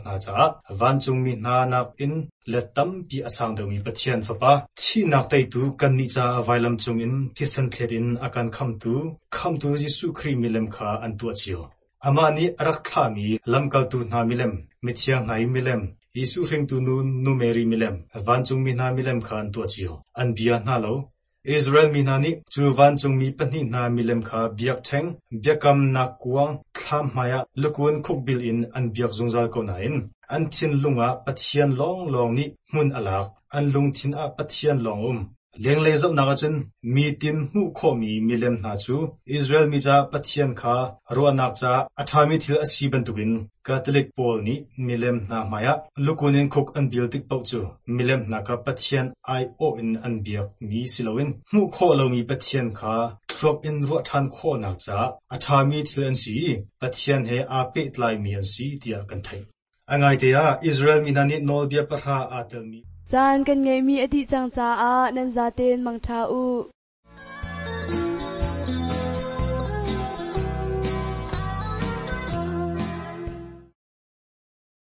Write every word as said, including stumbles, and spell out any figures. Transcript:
hna caah vancungmi hna nakin let tampi a sang deuhmi Pathian Fapa, thihnak teitu kannih caah vailam cungin thisen thlet in a kan khamhtu, Khamhtu Jesuh Khrih milem kha an tuah cio. Amah nih a rak thlahmi lamkaltu hna milem, mithiang hna i milem, Jesuh hringtu nu Nu Mary milem, vancungmi hna milem kha an tuah cio. An bia hna lo. Israel mi hna nih cu vancungmi pahnih hna milem kha biakṭheng, biakamnak kuang, thlam hmaiah lukun khukbil in an biak zungzal ko nain an thinlung ah Pathian lawnglawng nih hmun a lak, an lungthin ah Pathian lawng a um. Lenglei zohnak ahcun mitin hmuh khawhmi milem hna cu Israel mi caah Pathian kha ruahnak caah a ṭhami thil a si bantukin Catholic pawl nih milem hna hmaiah lukun in khuk an bil tik paoh cu milem hna kha Pathian aiawh in an biakmi si loin hmuh khawh lomi Pathian kha thluak in ruah ṭhan khawhnak caah a ṭhami thil an si i Pathian he aa pehtlaimi an si tiah kan theih. A ngaite ah Israel mi hna nih nawlbia pahra aa telmi Caan kan ngeihmi a dih cang caah nan zaten mangṭha u.